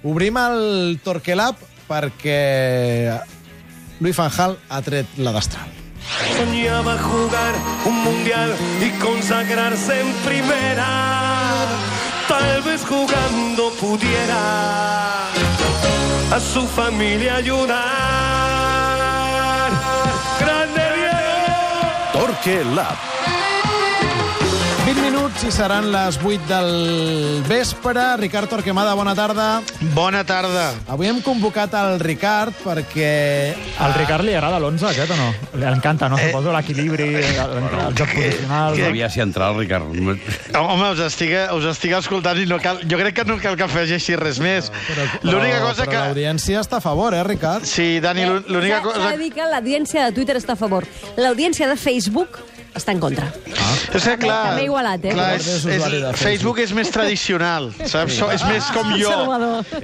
Obrim el Torquelab perquè Louis van Gaal ha tret la destral. Soñaba jugar un mundial y consagrarse en primera. Tal vez jugando pudiera a su familia ayudar. ¡Grande Diego! Torquelab. 20 minuts i seran les 8 del vespre. Ricard Torquemada, bona tarda. Bona tarda. Avui hem convocat el Ricard perquè... Al Ricard li agrada l'11 aquest o no? Li encanta, no? Suposo l'equilibri, el joc posicional... Havia si entrar el Ricard. Home, us estic escoltant i no cal, jo crec que no cal que afegeixi res més. L'única cosa que... Però l'audiència està a favor, Ricard? Sí, Dani, l'única cosa... S'ha de dir que l'audiència de Twitter està a favor. L'audiència de Facebook està en contra. És que, clar, també igualat, Facebook és més tradicional, saps? És més com jo.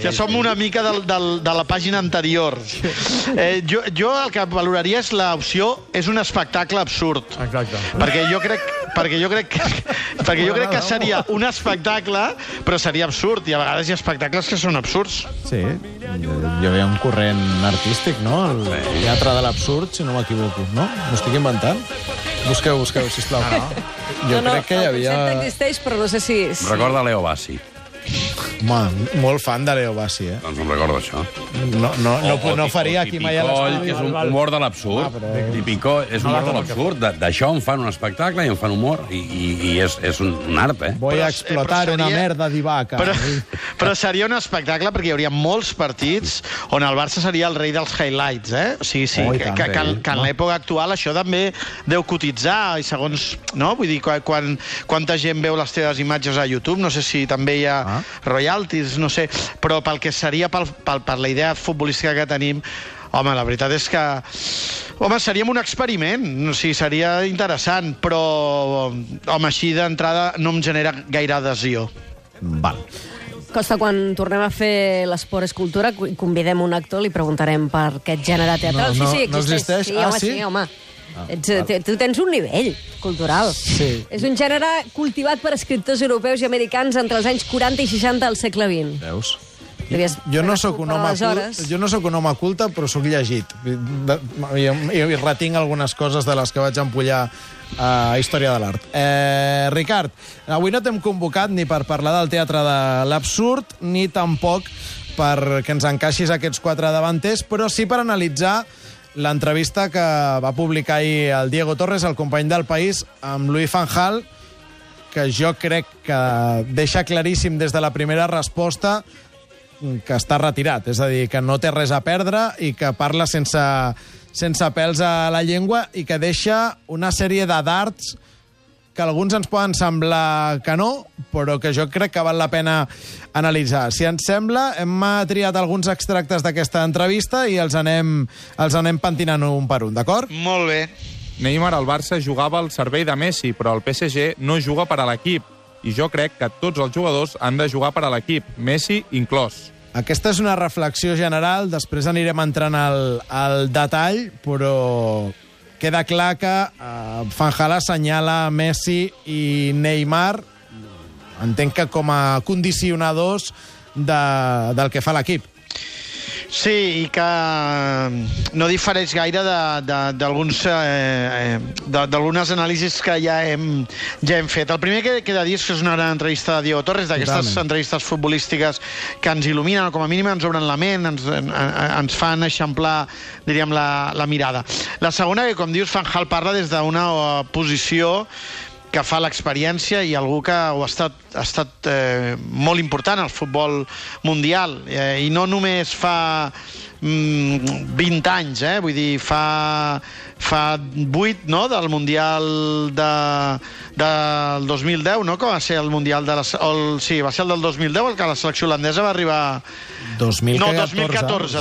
Ja som una mica de la pàgina anterior. Jo el que valoraria és l'opció és un espectacle absurd. Exacte. Perquè jo crec que seria un espectacle, però seria absurd. I a vegades hi ha espectacles que són absurds. Sí, hi havia un corrent artístic, no? El teatre de l'absurd, si no m'equivoco, no? M'ho estic inventant? Busqueu, sisplau. Jo crec que hi havia... El concepte existeix, però no sé si... Recorda Leo Bassi. Home, molt fan de Leo Bassi, eh? Doncs em recordo això. No faria aquí mai a l'estudi. Que és un humor de l'absurd. Tipicó és un humor de l'absurd. D'això en fan un espectacle i en fan humor. I és un art, eh? Voy a explotar una merda d'Ivaca. Però seria un espectacle perquè hi hauria molts partits on el Barça seria el rei dels highlights, eh? Sí, que en l'època actual això també deu cotitzar i segons... No? Vull dir, quanta gent veu les teves imatges a YouTube, no sé si també hi ha royalties, no sé, però pel que seria per la idea futbolística que tenim, home, la veritat és que seríem un experiment, o sigui, seria interessant, però home, així d'entrada no em genera gaire adhesió. Val. Costa, quan tornem a fer l'Esport és Cultura, convidem un actor, li preguntarem per aquest gènere teatral. No existeix? Sí, home. Tu tens un nivell cultural. Sí. És un gènere cultivat per escriptors europeus i americans entre els anys 40 i 60 del segle XX. Veus? Jo no sóc un home culte, però sóc llegit. I retinc algunes coses de les que vaig empollar a Història de l'Art. Ricard, avui no t'hem convocat ni per parlar del teatre de l'absurd, ni tampoc perquè ens encaixis aquests 4 davanters, però sí per analitzar l'entrevista que va publicar ahir el Diego Torres, el company del País, amb Louis van Gaal, que jo crec que deixa claríssim des de la primera resposta que està retirat, és a dir, que no té res a perdre i que parla sense pèls a la llengua i que deixa una sèrie de dards que alguns ens poden semblar que no, però que jo crec que val la pena analitzar. Si ens sembla, hem triat alguns extractes d'aquesta entrevista i els anem pentinant un per un, d'acord? Molt bé. Neymar al Barça jugava al servei de Messi, però el PSG no juga per a l'equip. I jo crec que tots els jugadors han de jugar per a l'equip, Messi inclòs. Aquesta és una reflexió general, després anirem entrant al detall, però queda clar que Van Gaal assenyala Messi i Neymar, entenc que com a condicionadors del que fa l'equip. Sí, i que no difereix gaire d'algunes anàlisis que ja hem fet. El primer que he de dir és que és una gran entrevista de Diego Torres, d'aquestes entrevistes futbolístiques que ens il·luminen, o com a mínim ens obren la ment, ens fan eixamplar, diríem, la mirada. La segona, que com dius, Van Gaal parla des d'una posició que fa l'experiència i algú que ha estat molt important al futbol mundial, i no només fa 20 anys, vull dir, fa 8, no?, del Mundial del 2010, no?, que va ser el Mundial de sí, va ser el del 2010, el que la selecció holandesa va arribar... 2014,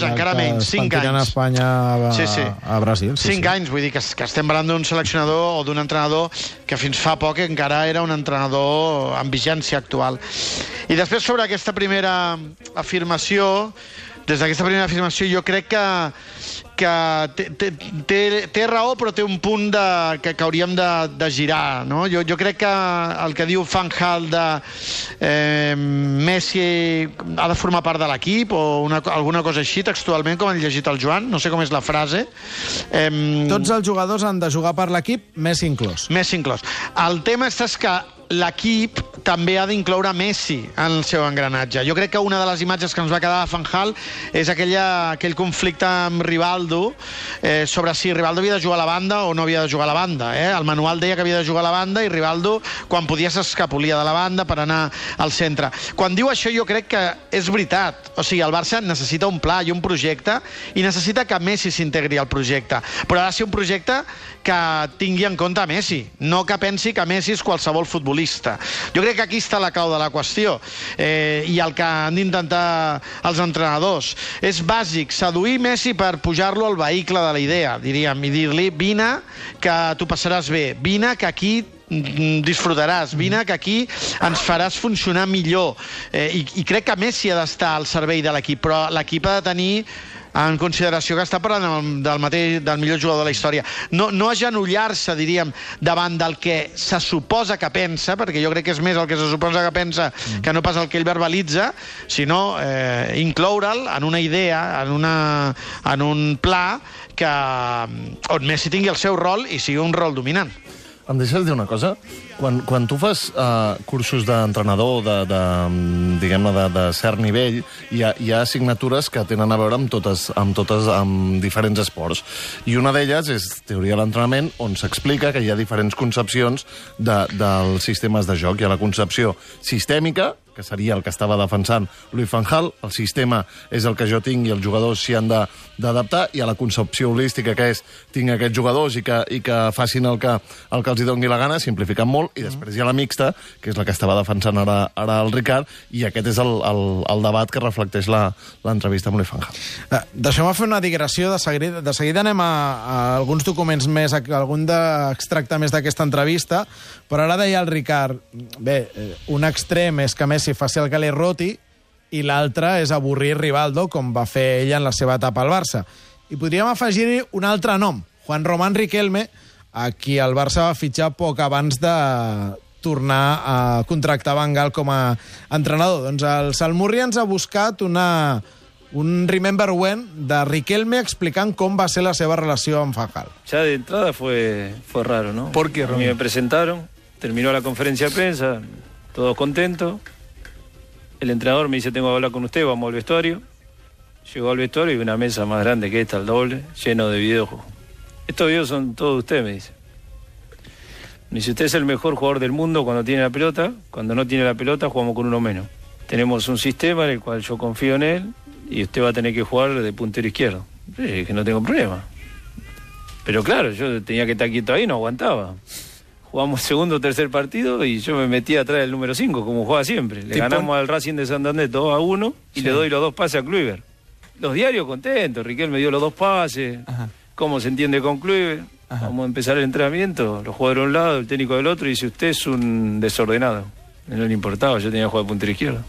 encara menys, 5 anys. Espanya a Brasil. 5 anys, vull dir que estem parlant d'un seleccionador o d'un entrenador que fins fa poc encara era un entrenador amb vigència actual. I després, sobre aquesta primera afirmació, des d'aquesta primera afirmació jo crec que té raó, però té un punt que hauríem de girar, no? Jo crec que el que diu Van Gaal de Messi ha de formar part de l'equip o alguna cosa així, textualment, com han llegit el Joan, no sé com és la frase. Tots els jugadors han de jugar per l'equip, Messi inclòs. Messi inclòs. El tema és que l'equip també ha d'incloure Messi en el seu engranatge. Jo crec que una de les imatges que ens va quedar a Van Gaal és aquell conflicte amb Rivaldo sobre si Rivaldo havia de jugar a la banda o no havia de jugar a la banda. El manual deia que havia de jugar a la banda i Rivaldo, quan podia, s'escapolia de la banda per anar al centre. Quan diu això, jo crec que és veritat. O sigui, el Barça necessita un pla i un projecte i necessita que Messi s'integri al projecte. Però ha de ser un projecte que tingui en compte Messi, no que pensi que Messi és qualsevol futbolista. Jo crec que aquí està la clau de la qüestió i el que han d'intentar els entrenadors. És bàsic seduir Messi per pujar-lo al vehicle de la idea, diríem, i dir-li, vine que t'ho passaràs bé, vine que aquí disfrutaràs, vine que aquí ens faràs funcionar millor. I crec que Messi ha d'estar al servei de l'equip, però l'equip ha de tenir en consideració que està parlant del millor jugador de la història. No agenollar-se, diríem, davant del que se suposa que pensa, perquè jo crec que és més el que se suposa que pensa que no pas el que ell verbalitza, sinó incloure'l en una idea, en un pla on Messi tingui el seu rol i sigui un rol dominant. Em deixes dir una cosa? Quan tu fas cursos d'entrenador diguem-ne, de cert nivell, hi ha assignatures que tenen a veure amb diferents esports. I una d'elles és teoria de l'entrenament, on s'explica que hi ha diferents concepcions dels sistemes de joc. Hi ha la concepció sistèmica, que seria el que estava defensant Louis van Gaal, el sistema és el que jo tinc i els jugadors s'hi han d'adaptar, i a la concepció holística, que és tinc aquests jugadors i que facin el que els hi doni la gana, simplificant molt, i després hi ha la mixta, que és la que estava defensant ara el Ricard, i aquest és el debat que reflecteix l'entrevista amb Louis van Gaal. Deixeu-me fer una digressió, de seguida anem a alguns documents més, algun d'extracte més d'aquesta entrevista, però ara deia el Ricard, bé, un extrem és que Messi faci el que li roti i l'altre és avorrir Rivaldo, com va fer ell en la seva etapa al Barça. I podríem afegir-hi un altre nom, Juan Román Riquelme, a qui el Barça va fitxar poc abans de tornar a contractar Van Gaal com a entrenador. Doncs el Salmurri ens ha buscat un remember when de Riquelme explicant com va ser la seva relació amb Van Gaal. Ya de entrada fue raro, ¿no? ¿Por qué, Román? Me presentaron, terminó la conferencia de prensa, todos contentos. El entrenador me dice, tengo que hablar con usted, vamos al vestuario. Llegó al vestuario y una mesa más grande que esta, al doble, lleno de videojuegos. Estos videos son todos de usted, me dice. Me dice, usted es el mejor jugador del mundo cuando tiene la pelota. Cuando no tiene la pelota, jugamos con uno menos. Tenemos un sistema en el cual yo confío en él y usted va a tener que jugar de puntero izquierdo. Sí, que no tengo problema. Pero claro, yo tenía que estar quieto ahí, no aguantaba. Jugamos segundo o tercer partido y yo me metí atrás del número 5, como jugaba siempre. Le ganamos al Racing de Santander 2-1 y le doy los 2 pases a Kluivert. Los diarios contentos, Riquelme me dio los 2 pases, cómo se entiende con Kluivert. Vamos a empezar el entrenamiento, los jugadores de un lado, el técnico del otro, y dice, usted es un desordenado. No le importaba, yo tenía que jugar de puntero izquierdo.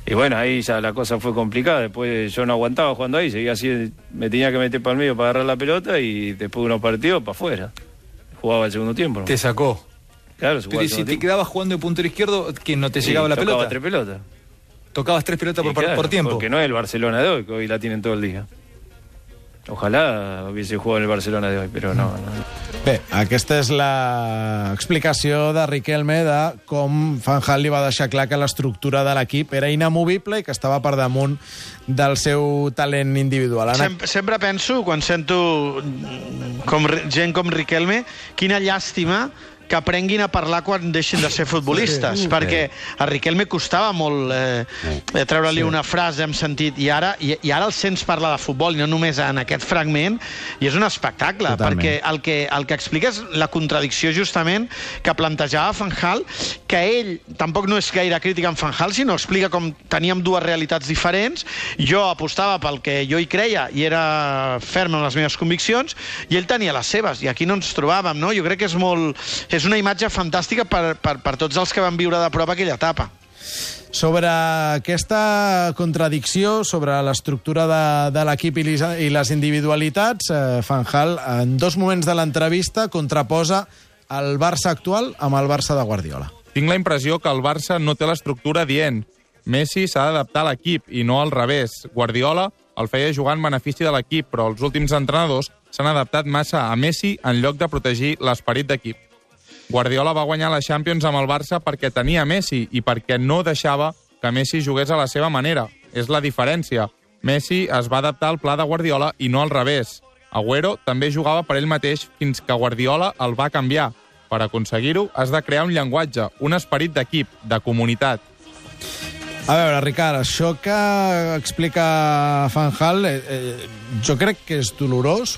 Y bueno, ahí ya la cosa fue complicada, después yo no aguantaba jugando ahí, seguía así, me tenía que meter para el medio para agarrar la pelota y después de unos partidos para afuera. Jugaba el segundo tiempo, ¿no? Te sacó. Claro, pero si te quedabas jugando de puntero izquierdo, ¿que no te llegaba la pelota? Tocaba 3 pelotas. Tocabas 3 pelotas por tiempo. Porque no es el Barcelona de hoy, que hoy la tienen todo el día. Ojalá hubiese jugado en el Barcelona de hoy, però no. Bé, aquesta és l'explicació de Riquelme de com Van Gaal li va deixar clar que l'estructura de l'equip era inamovible i que estava per damunt del seu talent individual. Sempre penso, quan sento gent com Riquelme, quina llàstima que aprenguin a parlar quan deixin de ser futbolistes, perquè a Riquelme costava molt treure-li una frase en sentit, i ara el sents parlar de futbol, i no només en aquest fragment, i és un espectacle, perquè el que explica és la contradicció justament que plantejava Van Gaal, que ell tampoc no és gaire crític amb Van Gaal, sinó explica com teníem dues realitats diferents, jo apostava pel que jo hi creia i era ferm en les meves conviccions, i ell tenia les seves, i aquí no ens trobàvem, no? Jo crec que és una imatge fantàstica per tots els que van viure de prop aquella etapa. Sobre aquesta contradicció, sobre l'estructura de l'equip i les individualitats, Van Gaal, en 2 moments de l'entrevista, contraposa el Barça actual amb el Barça de Guardiola. Tinc la impressió que el Barça no té l'estructura dient Messi s'ha d'adaptar a l'equip i no al revés. Guardiola el feia jugar en benefici de l'equip, però els últims entrenadors s'han adaptat massa a Messi en lloc de protegir l'esperit d'equip. Guardiola va guanyar la Champions amb el Barça perquè tenia Messi i perquè no deixava que Messi jugués a la seva manera. És la diferència. Messi es va adaptar al pla de Guardiola i no al revés. Agüero també jugava per ell mateix fins que Guardiola el va canviar. Per aconseguir-ho, has de crear un llenguatge, un esperit d'equip, de comunitat. A veure, Ricard, això que explica Van Gaal, jo crec que és dolorós,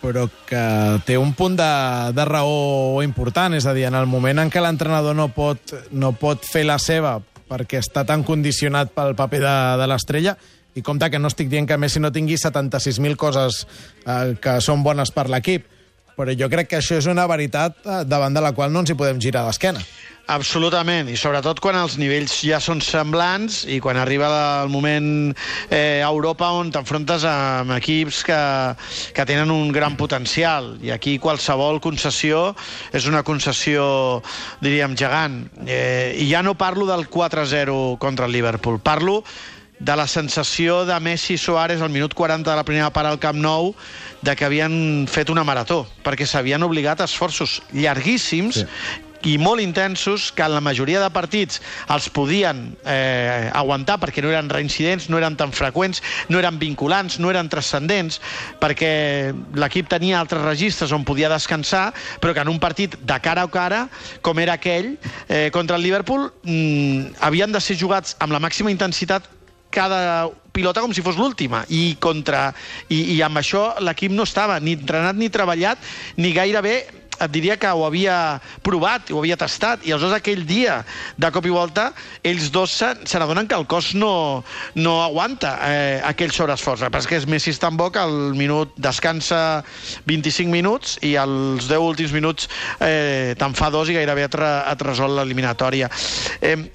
però que té un punt de raó important. És a dir, en el moment en què l'entrenador no pot fer la seva perquè està tan condicionat pel paper de l'estrella, i compte que no estic dient que Messi no tingui 76.000 coses que són bones per l'equip, però jo crec que això és una veritat davant de la qual no ens hi podem girar d'esquena. Absolutament, i sobretot quan els nivells ja són semblants i quan arriba el moment a Europa on t'enfrontes amb equips que tenen un gran potencial, i aquí qualsevol concessió és una concessió, diríem, gegant. I ja no parlo del 4-0 contra el Liverpool, parlo de la sensació de Messi i Suárez al minut 40 de la primera part al Camp Nou de que havien fet una marató, perquè s'havien obligat a esforços llarguíssims, sí, i molt intensos, que en la majoria de partits els podien aguantar perquè no eren reincidents, no eren tan freqüents, no eren vinculants, no eren transcendents, perquè l'equip tenia altres registres on podia descansar, però que en un partit de cara a cara, com era aquell, contra el Liverpool, havien de ser jugats amb la màxima intensitat cada pilota com si fos l'última, i amb això l'equip no estava ni entrenat ni treballat, ni gairebé et diria que ho havia provat, ho havia tastat, i aleshores aquell dia, de cop i volta, ells dos se n'adonen que el cos no aguanta aquell sobreesforç. Però és que Messi és tan bo que al minut descansa 25 minuts i als 10 últims minuts te'n fa 2 i gairebé et resol l'eliminatòria.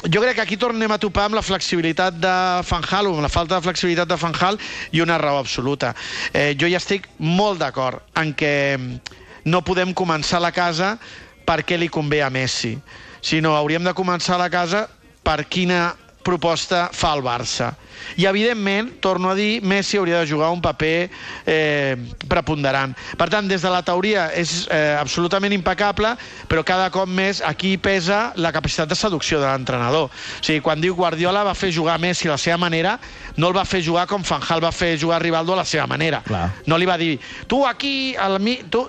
Jo crec que aquí tornem a topar amb la flexibilitat de Van Gaal, o amb la falta de flexibilitat de Van Gaal, i una raó absoluta. Jo ja estic molt d'acord en que no podem començar la casa perquè li convé a Messi, sinó hauríem de començar la casa per quina proposta fa el Barça. I, evidentment, torno a dir, Messi hauria de jugar un paper preponderant. Per tant, des de la teoria és absolutament impecable, però cada cop més aquí pesa la capacitat de seducció de l'entrenador. O sigui, quan diu Guardiola va fer jugar Messi a la seva manera, no el va fer jugar com Van Gaal va fer jugar Rivaldo a la seva manera. Clar. No li va dir, tu aquí,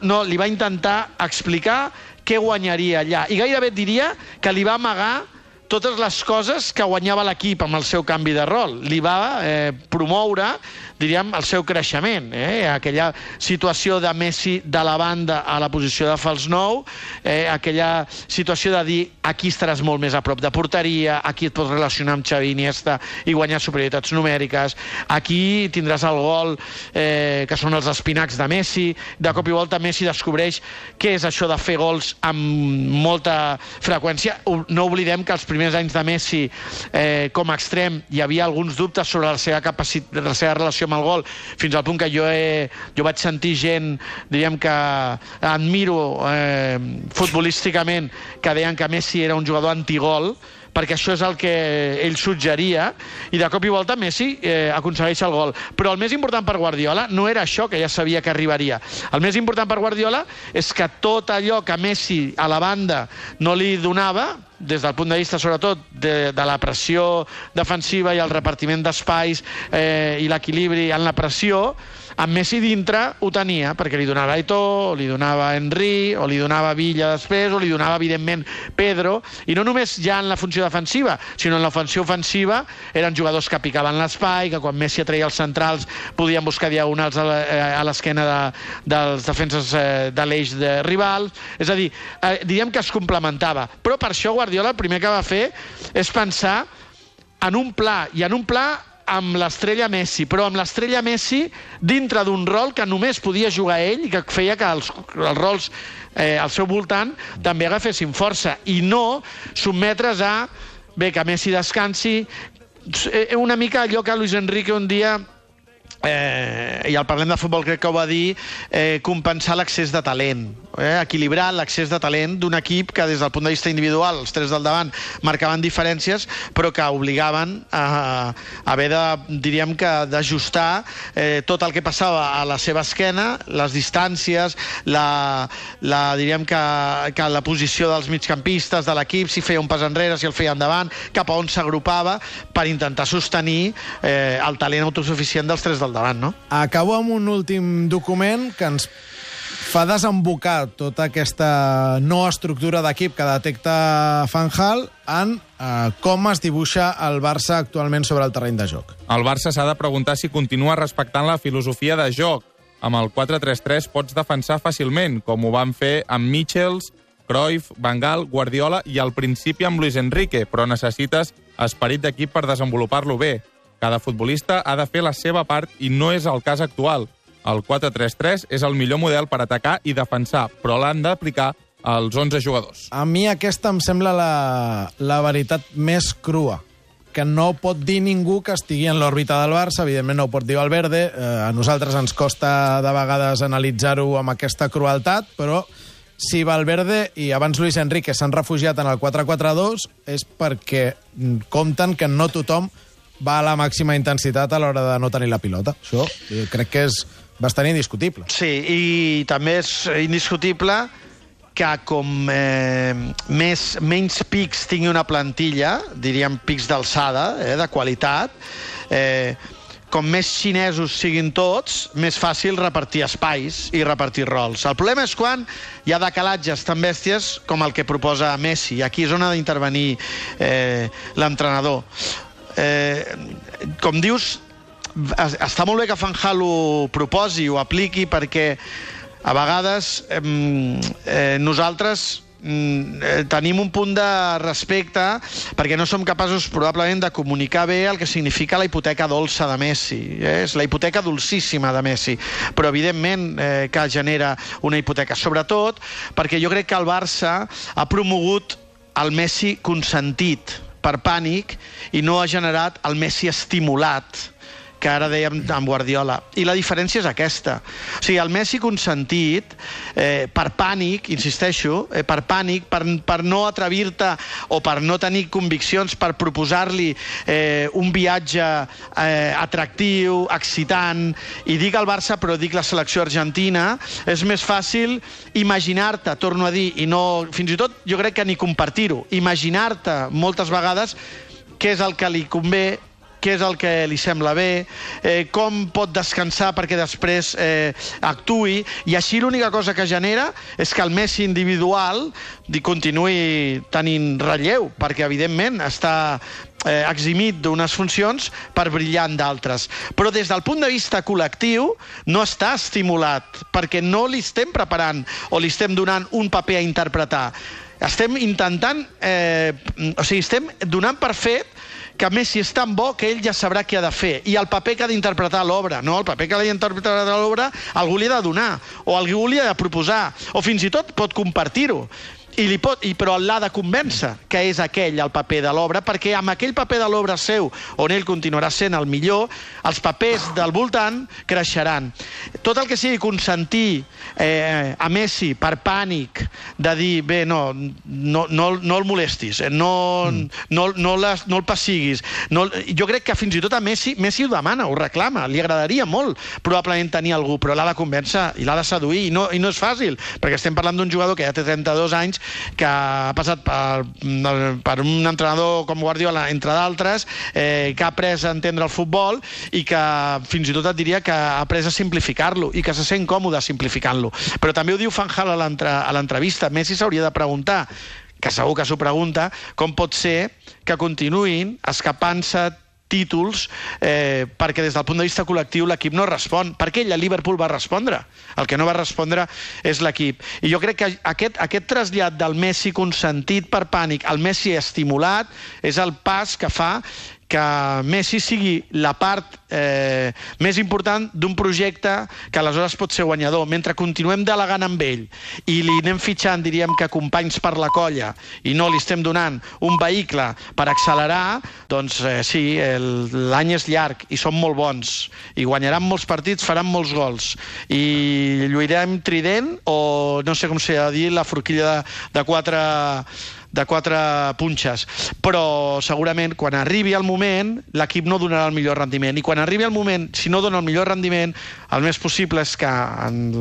no, li va intentar explicar què guanyaria allà. I gairebé et diria que li va amagar totes les coses que guanyava l'equip amb el seu canvi de rol. Li va promoure, diríem, el seu creixement. Aquella situació de Messi de la banda a la posició de fals 9, aquella situació de dir aquí estaràs molt més a prop de porteria, aquí et pots relacionar amb Xavi Iniesta i guanyar superioritats numèriques, aquí tindràs el gol, que són els espinacs de Messi. De cop i volta Messi descobreix què és això de fer gols amb molta freqüència. No oblidem que els primers anys de Messi com a extrem hi havia alguns dubtes sobre la seva capacitat, la seva relació amb el gol, fins al punt que jo vaig sentir gent, diríem, que admiro futbolísticament, que deien que Messi era un jugador antigol, perquè això és el que ell suggeria, i de cop i volta Messi aconsegueix el gol. Però el més important per Guardiola no era això, que ja sabia que arribaria. El més important per Guardiola és que tot allò que Messi a la banda no li donava, des del punt de vista, sobretot, de la pressió defensiva i el repartiment d'espais i l'equilibri en la pressió, amb Messi dintre ho tenia, perquè li donava Eto'o, li donava Henry, o li donava Villa després, o li donava, evidentment, Pedro, i no només ja en la funció defensiva, sinó en l'ofensiva ofensiva, eren jugadors que picaven l'espai, que quan Messi atreia els centrals podien buscar diagonals a l'esquena dels defenses de l'eix de rival. És a dir, diríem que es complementava. Però per això Guardiola el primer que va fer és pensar en un pla, i en un pla amb l'estrella Messi, però amb l'estrella Messi dintre d'un rol que només podia jugar ell i que feia que els rols al seu voltant també agafessin força, i no sotmetre's a bé, que Messi descansi, una mica allò que Luis Enrique un dia, i al Parlem de Futbol crec que ho va dir, compensar l'excés de talent, equilibrar l'excés de talent d'un equip que des del punt de vista individual, els 3 del davant marcaven diferències, però que obligaven a haver de, diríem que, d'ajustar tot el que passava a la seva esquena, les distàncies, diríem que la posició dels migcampistes de l'equip, si feia un pas enrere, si el feia endavant, cap a on s'agrupava, per intentar sostenir el talent autosuficient dels 3 del davant, no? Acabo amb un últim document que ens fa desembocar tota aquesta no estructura d'equip que detecta Van Gaal en com es dibuixa el Barça actualment sobre el terreny de joc. El Barça s'ha de preguntar si continua respectant la filosofia de joc. Amb el 4-3-3 pots defensar fàcilment, com ho van fer amb Michels, Cruyff, Van Gaal, Guardiola i al principi amb Luis Enrique, però necessites esperit d'equip per desenvolupar-lo bé. Cada futbolista ha de fer la seva part i no és el cas actual. El 4-3-3 és el millor model per atacar i defensar, però l'han d'aplicar als 11 jugadors. A mi aquesta em sembla la veritat més crua, que no pot dir ningú que estigui en l'òrbita del Barça, evidentment no ho pot dir Valverde, a nosaltres ens costa de vegades analitzar-ho amb aquesta crueltat, però si Valverde i abans Luis Enrique s'han refugiat en el 4-4-2 és perquè compten que no tothom va a la màxima intensitat a l'hora de no tenir la pilota. Això crec que és bastant indiscutible. Sí, i també és indiscutible que com menys pics tingui una plantilla, diríem pics d'alçada, de qualitat, com més xinesos siguin tots, més fàcil repartir espais i repartir rols. El problema és quan hi ha decalatges tan bèsties com el que proposa Messi. Aquí és on ha d'intervenir l'entrenador. Com dius, està molt bé que Van Gaal ho proposi, ho apliqui, perquè a vegades nosaltres tenim un punt de respecte perquè no som capaços probablement de comunicar bé el que significa la hipoteca dolça de Messi. És la hipoteca dolcíssima de Messi, però evidentment que genera una hipoteca, sobretot perquè jo crec que el Barça ha promogut el Messi consentit per pànic i no ha generat el Messi estimulat, que ara dèiem amb Guardiola. I la diferència és aquesta. O sigui, el Messi consentit, per pànic, insisteixo, per pànic, per no atrevir-te o per no tenir conviccions, per proposar-li un viatge atractiu, excitant, i dic el Barça, però dic la selecció argentina, és més fàcil imaginar-te, torno a dir, i no, fins i tot jo crec que ni compartir-ho, imaginar-te moltes vegades què és el que li convé, què és el que li sembla bé, com pot descansar perquè després actuï, i així l'única cosa que genera és que el Messi individual continuï tenint relleu, perquè evidentment està eximit d'unes funcions per brillar en d'altres. Però des del punt de vista col·lectiu no està estimulat, perquè no li estem preparant o li estem donant un paper a interpretar. Estem intentant, estem donant per fet que Messi és tan bo que ell ja sabrà què ha de fer, i el paper que ha d'interpretar a l'obra. No, el paper que ha d'interpretar a l'obra algú li ha de donar, o algú li ha de proposar, o fins i tot pot compartir-ho. Però l'ha de convèncer que és aquell el paper de l'obra, perquè amb aquell paper de l'obra seu, on ell continuarà sent el millor, els papers del voltant creixeran. Tot el que sigui consentir a Messi per pànic de dir, bé, no el molestis, no el pessiguis. Jo crec que fins i tot a Messi ho demana, ho reclama, li agradaria molt probablement tenir algú, però l'ha de convèncer i l'ha de seduir, i no és fàcil, perquè estem parlant d'un jugador que ja té 32 anys, que ha passat per un entrenador com Guardiola, entre d'altres, que ha après a entendre el futbol i que fins i tot et diria que ha après a simplificar-lo i que se sent còmode simplificant-lo. Però també ho diu Van Gaal a l'entrevista. Messi s'hauria de preguntar, que segur que s'ho pregunta, com pot ser que continuïn escapant-se títols perquè des del punt de vista col·lectiu l'equip no respon. Perquè ell a Liverpool va respondre. El que no va respondre és l'equip. I jo crec que aquest trasllat del Messi consentit per pànic al Messi estimulat és el pas que fa que Messi sigui la part més important d'un projecte que aleshores pot ser guanyador. Mentre continuem delegant amb ell i li anem fitxant, diríem que companys per la colla, i no li estem donant un vehicle per accelerar, doncs sí, l'any és llarg i són molt bons i guanyaran molts partits, faran molts gols i lluirem trident o no sé com s'ha de dir, la forquilla de quatre punxes, però segurament quan arribi el moment l'equip no donarà el millor rendiment, i quan arribi el moment, si no dona el millor rendiment, el més possible és que en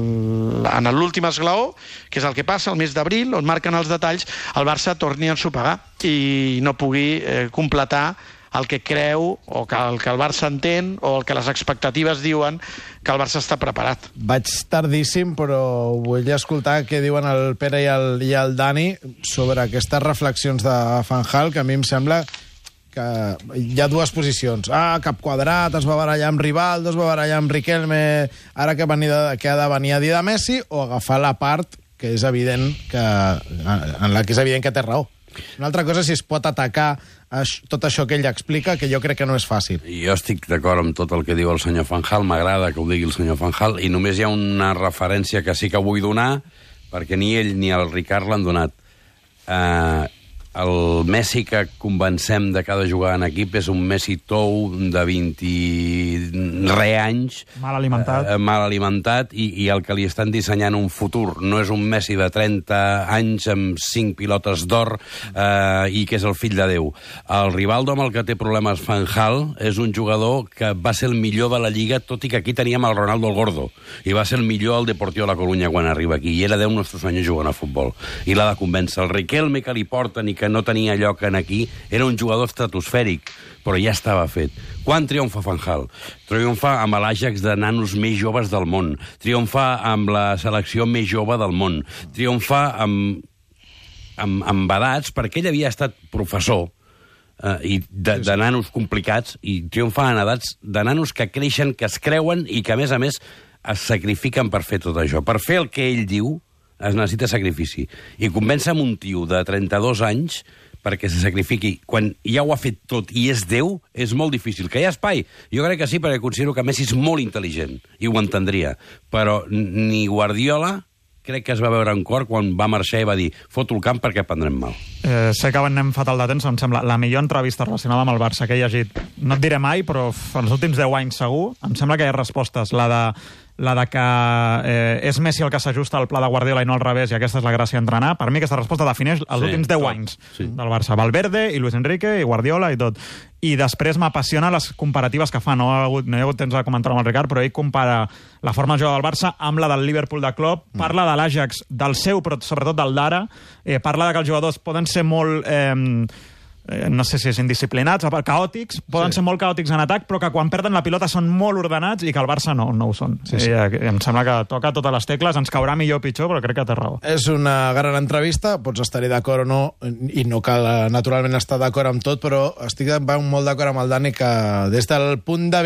l'últim esglaó, que és el que passa el mes d'abril, on marquen els detalls, el Barça torni a ensopegar i no pugui completar el que creu, o que el Barça entén, o el que les expectatives diuen que el Barça està preparat. Vaig tardíssim, però vull escoltar què diuen el Pere i el Dani sobre aquestes reflexions de Van Gaal, que a mi em sembla que hi ha dues posicions. Cap quadrat, es va barallar amb Rivaldo, es va barallar amb Riquelme, ara que ha de venir a dir de Messi, o agafar la part que és evident en la que és evident que té raó. Una altra cosa és si es pot atacar tot això que ell explica, que jo crec que no és fàcil. Jo estic d'acord amb tot el que diu el senyor Van Gaal, m'agrada que ho digui el senyor Van Gaal, i només hi ha una referència que sí que vull donar, perquè ni ell ni el Ricard l'han donat. El Messi que convencem de cada jugada en equip és un Messi tou de 20 anys. Mal alimentat. Mal alimentat, i el que li estan dissenyant un futur no és un Messi de 30 anys amb 5 pilotes d'or i que és el fill de Déu. El Rivaldo, amb el que té problemes Van Gaal, és un jugador que va ser el millor de la Lliga, tot i que aquí teníem el Ronaldo el Gordo, i va ser el millor al Deportivo La Coruña quan arriba aquí, i era 10 nostres anys jugant a futbol. I l'ha de convèncer. El Riquelme que li porten i que no tenia lloc en aquí, era un jugador estratosfèric, però ja estava fet. Quan triomfa Van Gaal? Triomfa amb l'Ajax de nanos més joves del món, triomfa amb la selecció més jove del món, triomfa amb edats, perquè ell havia estat professor i de nanos complicats, i triomfa en edats de nanos que creixen, que es creuen i que, a més, es sacrifiquen per fer tot això. Per fer el que ell diu, es necessita sacrifici. I convèncer amb un tio de 32 anys perquè se sacrifiqui, quan ja ho ha fet tot i és Déu, és molt difícil. Que hi ha espai? Jo crec que sí, perquè considero que Messi és molt intel·ligent, i ho entendria. Però ni Guardiola crec que es va veure en cor quan va marxar i va dir foto el camp perquè prendrem mal. Sé que anem fatal de temps, em sembla la millor entrevista relacionada amb el Barça que he llegit. No et diré mai, però els últims 10 anys segur, em sembla que hi ha respostes. La de que és Messi el que s'ajusta al pla de Guardiola i no al revés, i aquesta és la gràcia d'entrenar. Per mi aquesta resposta defineix els últims 10 anys del Barça. Valverde i Luis Enrique i Guardiola i tot. I després m'apassiona les comparatives que fa. No hi ha hagut temps de comentar amb el Ricard, però ell compara la forma de jugar del Barça amb la del Liverpool de Klopp, parla de l'Ajax, del seu, però sobretot del d'ara, parla de que els jugadors poden ser molt... no sé si és indisciplinats, caòtics, poden ser molt caòtics en atac, però que quan perden la pilota són molt ordenats i que el Barça no ho són. Em sembla que toca totes les tecles, ens caurà millor o pitjor, però crec que té raó. És una gran entrevista, pots estar-hi d'acord o no, i no cal naturalment estar d'acord amb tot, però estic molt d'acord amb el Dani que des del punt de